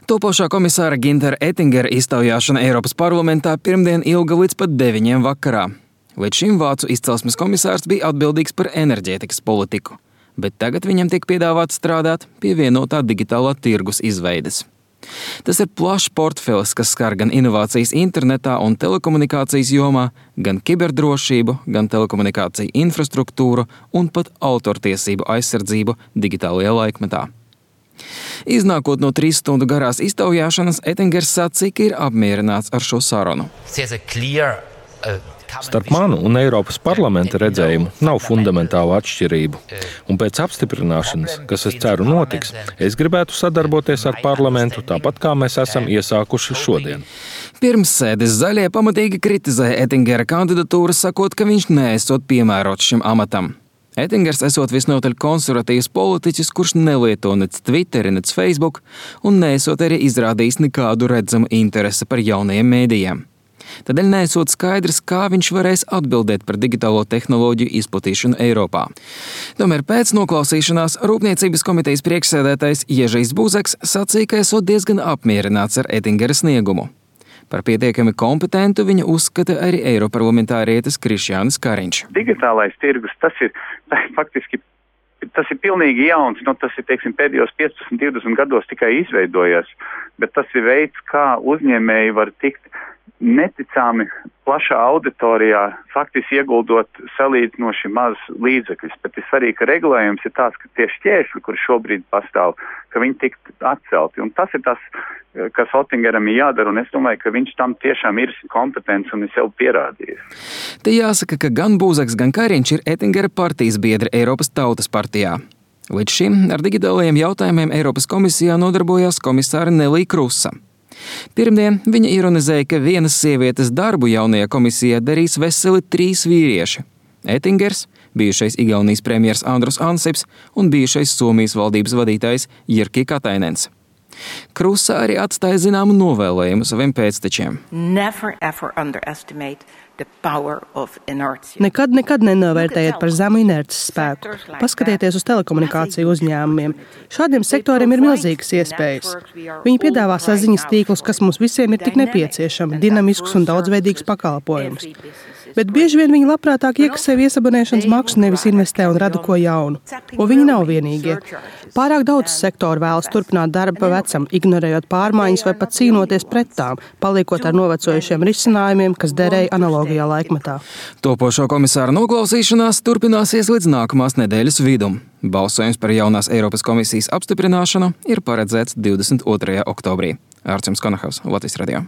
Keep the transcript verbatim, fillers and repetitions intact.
Topošā komisāra Gintera Ettingera iztaujāšana Eiropas parlamentā pirmdien ilga līdz pat deviņiem vakarā. Līdz šim vācu izcelsmes komisārs bija atbildīgs par enerģētikas politiku, bet tagad viņam tiek piedāvāts strādāt pie vienotā digitālā tirgus izveides. Tas ir plašs portfelis, kas skar gan inovācijas internetā un telekomunikācijas jomā, gan kiberdrošību, gan telekomunikāciju infrastruktūru un pat autortiesību aizsardzību digitālajā laikmetā. Iznākot no trīs stundu garās iztaujāšanas, Ettingers sacīja, ka ir apmierināts ar šo sarunu. Starp manu un Eiropas parlamenta redzējumu nav fundamentālu atšķirību, un pēc apstiprināšanas, kas es ceru notiks, es gribētu sadarboties ar parlamentu tāpat, kā mēs esam iesākuši šodien. Pirms sēdes zaļie pamatīgi kritizēja Ettingera kandidatūru, sakot, ka viņš neesot piemērots šim amatam. Ettingers esot visnotaļ konservatīvs politiķis, kurš nelieto nec Twitteri, nec Facebook, un neesot arī izrādījis nekādu redzamu interesi par jaunajiem mēdījiem. Tādēļ neesot skaidrs, kā viņš varēs atbildēt par digitālo tehnoloģiju izplatīšanu Eiropā. Tomēr pēc noklausīšanās Rūpniecības komitejas priekšsēdētājs Ježijs Buzeks sacīja, ka esot diezgan apmierināts ar Ettingera sniegumu. Par pietiekami kompetentu viņa uzskata arī eiroparlamentārietis Krišjānis Kariņš. Digitālais tirgus, tas ir faktiski, tas ir pilnīgi jauns, no tas ir, teiksim, pēdējos piecpadsmit divdesmit gados tikai izveidojies, bet tas ir veids, kā uzņēmēji var tikt neticami plašā auditorijā, faktiski ieguldot salīdzinoši maz līdzekļus, bet ir svarīgi, ka regulējums ir tāds, ka tie šķēršļi, kur šobrīd pastāv, ka viņi tikt atcelti. Un tas ir tas, kas Ettingeram ir jādara, un es domāju, ka viņš tam tiešām ir kompetents un ir sev pierādījis. Te jāsaka, ka gan Buzeks, gan Kariņš ir Ettingera partijas biedri Eiropas Tautas partijā. Līdz šim ar digitālajiem jautājumiem Eiropas komisijā nodarbojās komisāra Nelija Krusa. Pirmdien viņa ironizēja, ka vienas sievietes darbu jaunajā komisijā darīs veseli trīs vīrieši – Ettingers, bijušais Igaunijas premjers Andrus Ansips un bijušais Somijas valdības vadītājs Jyrki Katainens. Krusa arī atstāja zināmu novēlējumu saviem pēctečiem. Never ever underestimate the power of inertia. Nekad, nekad nenovērtējiet par zemu inerces spēku. Paskatieties uz telekomunikāciju uzņēmumiem. Šādiem sektoriem ir milzīgas iespējas. Viņi piedāvā saziņas tīklus, kas mums visiem ir tik nepieciešami, dinamiskus un daudzveidīgus pakalpojumus. Bet bieži vien viņi labprātāk iekasē viesabonēšanas maksu, nevis investē un rada ko jaunu. Un viņi nav vienīgie. Pārāk daudz sektoru vēlas turpināt darbu pa vecam, ignorējot pārmaiņas vai pat cīnoties pret tām, paliekot ar novecojušiem risinājumiem, kas derēja analogijā laikmetā. Topošo komisāra noklausīšanās turpināsies līdz nākamās nedēļas vidum. Balsojums par jaunās Eiropas komisijas apstiprināšanu ir paredzēts divdesmit otrajā oktobrī. Ārčuns Konahaus, Latvijas radio.